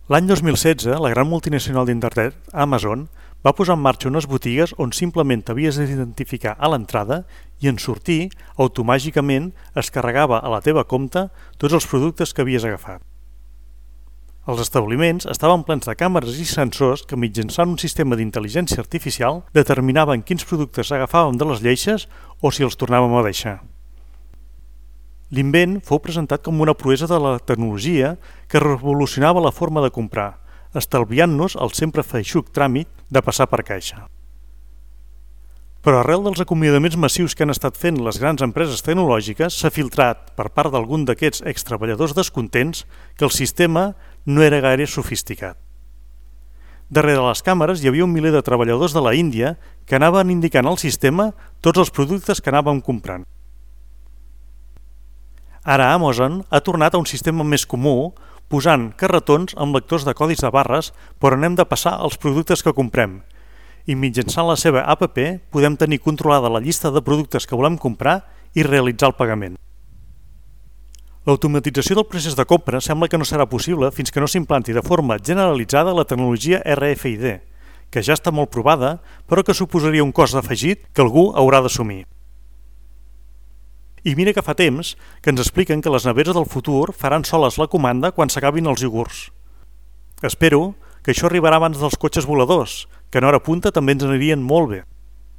L'any 2016, la gran multinacional d'internet, Amazon, va posar en marxa unes botigues on simplement t'havies d'identificar a l'entrada i en sortir, automàticament es carregava a la teva compte tots els productes que havies agafat. Els establiments estaven plens de càmeres i sensors que mitjançant un sistema d'intel·ligència artificial determinaven quins productes agafàvem de les lleixes o si els tornàvem a deixar. L'invent fou presentat com una proesa de la tecnologia que revolucionava la forma de comprar, estalviant-nos el sempre feixuc tràmit de passar per caixa. Però arrel dels acomiadaments massius que han estat fent les grans empreses tecnològiques, s'ha filtrat, per part d'algun d'aquests extreballadors descontents, que el sistema no era gaire sofisticat. Darrere les càmeres hi havia un miler de treballadors de la Índia que anaven indicant al sistema tots els productes que anàvem comprant. Ara Amazon ha tornat a un sistema més comú, posant carretons amb lectors de codis de barres per on hem de passar els productes que comprem, i mitjançant la seva app podem tenir controlada la llista de productes que volem comprar i realitzar el pagament. L'automatització del procés de compra sembla que no serà possible fins que no s'implanti de forma generalitzada la tecnologia RFID, que ja està molt provada, però que suposaria un cost afegit que algú haurà d'assumir. I mira que fa temps que ens expliquen que les neveres del futur faran soles la comanda quan s'acabin els iogurts. Espero que això arribarà abans dels cotxes voladors, que en hora punta també ens anirien molt bé.